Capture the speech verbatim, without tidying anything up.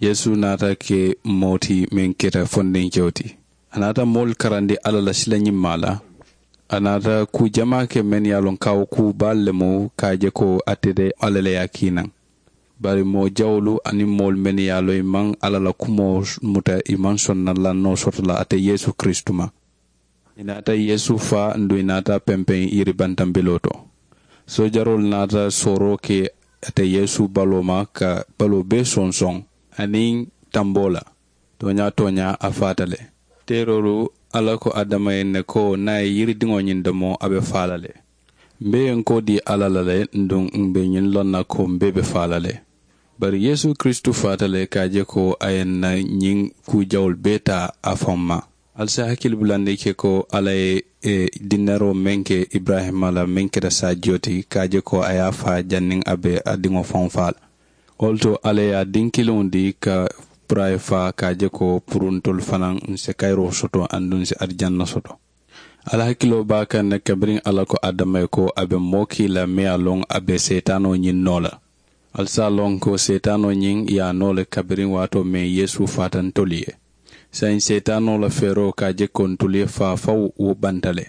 Yeesu naata ke moo ti meŋ keta fondinkewo ti. A naata moolu karandi alla la silañimmaa la. A naata kuu jamaa ke mennu ye a loŋ kaawo kuu baalu le mu ka a je ko ate de alla le ye a kii naŋ. Bari moo jawolu aniŋ moolu mennu ye a loŋ i maŋ alla la kumoo muta i maŋ sonna lannoo soto la ate yeesu kiristu ma. I naata yeesu faa nduŋ i naata pempeŋ yiri bantambiloo to. Soojaroolu naata sooroo ke ate yeesu baloo ma ka baloo bee sonsoŋ aniŋ tamboo la. Tooñaa tooñaa a faata le. Teeroolu alla ko adama ye ne ko niŋ a ye yiridiŋo ñiŋ domo a be faa la le. Mbe ye n koo dii alla la le nduŋ mbe ñiŋ loŋ na ko mbe be faa la le. Bari yeesu kiristu faata le ka a je ko a ye n na ñiŋ kuu jawolu bee taa a faŋ ma. Ali si a hakili bulandi ke ko alla ye dinneroo meŋ ke iburayima la meŋ keta saajiyo ti ka a je ko a ye a faa janniŋ a be a diŋo faŋo faa la. Wo le to alla ye a diŋ kiliŋo dii ka puru a ye faa ka a je ko puru ntolu fanaŋ n si kayiroo soto aduŋ n si arijanna soto. Alla hakiloo be a kaŋ ne kabiriŋ alla ko adama ye ko a be moo kii la meŋ ye a loŋ a be seetaanoo ñiŋ noo la. Ali si a loŋ ko seetaanoo ñiŋ ye a noo le kabiriŋ waatoo meŋ yeesu faata ntolu ye. Saayiŋ seetaanoo la feeroo ka a je ko ntolu ye faa fawu wo banta le.